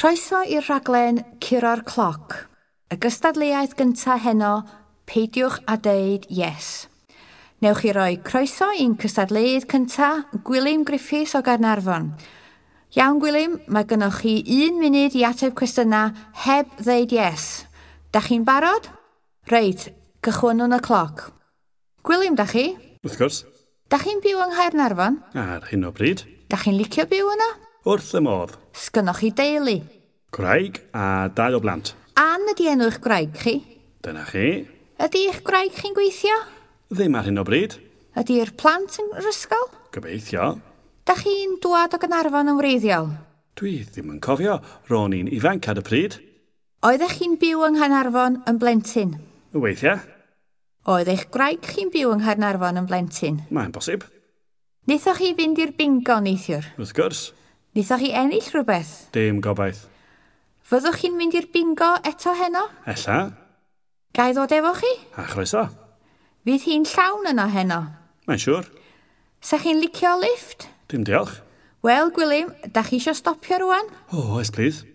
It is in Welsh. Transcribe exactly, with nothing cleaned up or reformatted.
Croeso i'r rhaglen Curo'r Cloc. Y gystadleuaeth gyntaf heno, peidiwch a deud yes. Newch chi roi croeso i'n cystadleuydd cyntaf, Gwilym Griffiths o Gaernarfon. Iawn, Gwilym, mae gynnoch chi un munud i ateb cwestiynau heb ddeud yes. Da chi'n barod? Reit, cychwynnwn y cloc. Gwilym, da chi? Wrth gwrs. Da chi'n byw yng Nghaernarfon? Ar hyn o bryd. Da chi'n licio byw yno? Wrth y modd. Sgynnoch chi deulu? Gwraig a dau o blant. Ann ydi enw eich gwraig chi? Dyna chi. Ydy eich gwraig chi'n gweithio? Ddim ar hyn o bryd. Ydy'r plant yn yr ysgol? Gobeithio. Da chi'n dwad o Gaernarfon yn wreiddiol? Dwi ddim yn cofio. Ro'n i'n ifanc ar y pryd. Oeddech chi'n byw yng Nghaernarfon yn blentyn? Weithiau. Oedd eich gwraig chi'n byw yng Nghaernarfon yn blentyn? Mae'n bosib. Wnaethoch chi fynd i'r bingo neithiwr? Wrth gwrs. Wnaethoch chi ennill rhywbeth? Dim gobaith. Fyddwch chi'n mynd i'r bingo eto heno? Ella. Ga i ddod efo chi? A chroeso. Fydd hi'n llawn yno heno? Mae'n siŵr. Sa chi'n licio lift? Dim diolch. Wel, Gwilym, da chi isio stopio rwan? O, oh, oes, please.